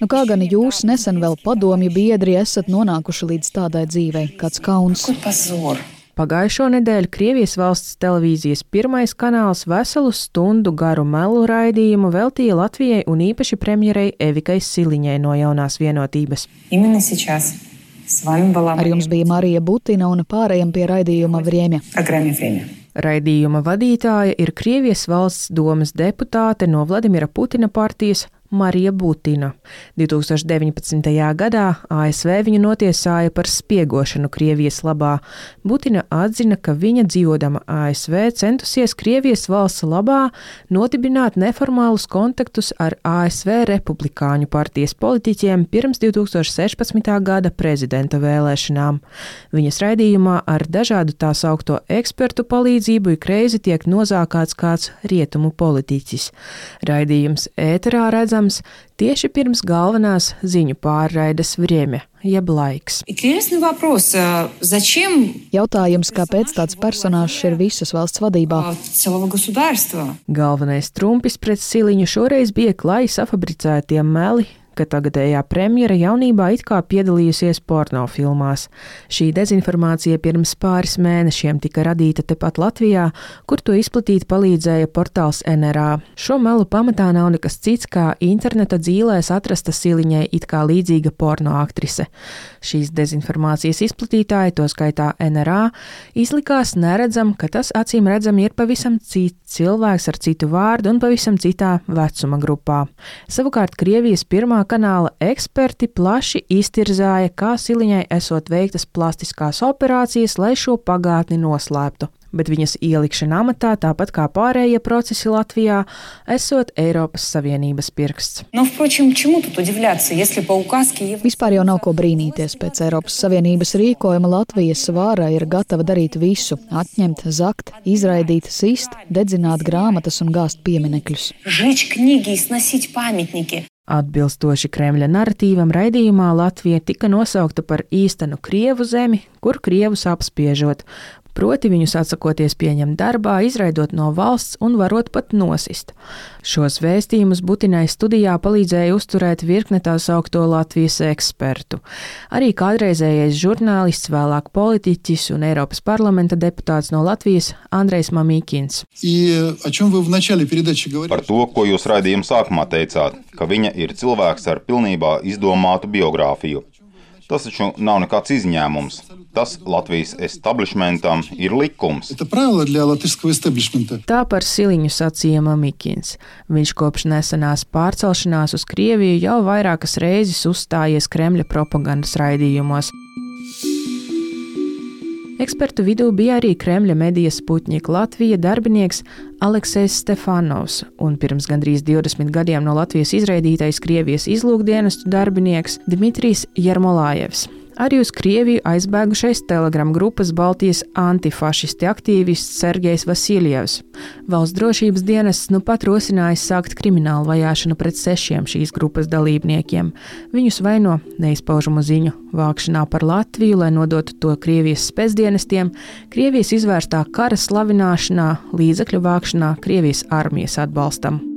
Kā gan jūs, nesen vēl padomju biedri, esat nonākuši līdz tādai dzīvei? Kāds kauns? Pagājušo nedēļu Krievijas valsts televīzijas pirmais kanāls veselu stundu garu melu raidījumu veltīja Latvijai un īpaši premjerei Evikai Siliņai no Jaunās vienotības. Ar jums bija Marija Butina un pārējiem pie raidījuma Vriemja. Raidījuma vadītāja ir Krievijas valsts domas deputāte no Vladimira Putina partijas Marija Butina. 2019. gadā ASV viņu notiesāja par spiegošanu Krievijas labā. Butina atzina, ka viņa dzīvodama ASV centusies Krievijas valsts labā nodibināt neformālus kontaktus ar ASV republikāņu partijas politiķiem pirms 2016. gada prezidenta vēlēšanām. Viņas raidījumā ar dažādu tā saukto ekspertu palīdzību ik reizi tiek nozākāts kāds rietumu politiķis. Raidījums ēterā redzams tieši pirms galvenās ziņu pārraides Vriemja, jeb laiks. Jautājums, kāpēc tāds personāžs ir visas valsts vadībā? Galvenais trumpis pret Siliņu šoreiz bija klāji safabricētie meli, ka tagadējā premjera jaunībā it kā piedalījusies pornofilmās. Šī dezinformācija pirms pāris mēnešiem tika radīta tepat Latvijā, kur to izplatīt palīdzēja portāls NRA. Šo melu pamatā nav nekas cits, kā interneta dzīlēs atrasta Siliņai it kā līdzīga pornoaktrise. Šīs dezinformācijas izplatītāji, to skaitā NRA, izlikās neredzam, ka tas acīm redzam ir pavisam cits cilvēks ar citu vārdu un pavisam citā vecuma grupā. Savukārt Krievijas pirmā kanāla eksperti plaši iztirzāja, kā Siliņai esot veiktas plastiskās operācijas, lai šo pagātni noslēptu. Bet viņas ielikšana amatā, tāpat kā pārējie procesi Latvijā, esot Eiropas Savienības pirksts. Vispār jau nav ko brīnīties. Pēc Eiropas Savienības rīkojuma Latvijas vāra ir gatava darīt visu – atņemt, zakt, izraidīt, sist, dedzināt grāmatas un gāzt pieminekļus. Atbilstoši Kremļa naratīvam raidījumā Latvija tika nosaukta par īstenu Krievu zemi, kur Krievus apspiežot, proti viņus atsakoties pieņemt darbā, izraidot no valsts un varot pat nosist. Šos vēstījumus Butinai studijā palīdzēja uzturēt virkne tā saukto Latvijas ekspertu. Arī kādreizējais žurnālists, vēlāk politiķis un Eiropas parlamenta deputāts no Latvijas Andrejs Mamikins. Par to, ko jūs raidījuma sākumā teicāt, ka viņa ir cilvēks ar pilnībā izdomātu biogrāfiju. Tas taču nav nekāds izņēmums. Tas Latvijas establishmentam ir likums. Tā par Siliņu sacīja Mamikins. Viņš kopš nesenās pārcelšanās uz Krieviju jau vairākas reizes uzstājies Kremļa propagandas raidījumos. Ekspertu vidū bija arī Kremļa medija Sputņik Latvija darbinieks Aleksejs Stefanovs un pirms gandrīz 20 gadiem no Latvijas izraidītais Krievijas izlūkdienestu darbinieks Dmitrijs Jermolājevs. Arī uz Krieviju aizbēgušais Telegram grupas Baltijas antifašisti aktīvists Sergejs Vasiljevs. Valsts drošības dienests nu pat rosinājis sākt kriminālu vajāšanu pret 6 šīs grupas dalībniekiem. Viņus vaino neizpaužamu ziņu vākšanā par Latviju, lai nodotu to Krievijas spēcdienestiem, Krievijas izvērstā kara slavināšanā, līdzekļu vākšanā Krievijas armijas atbalstam.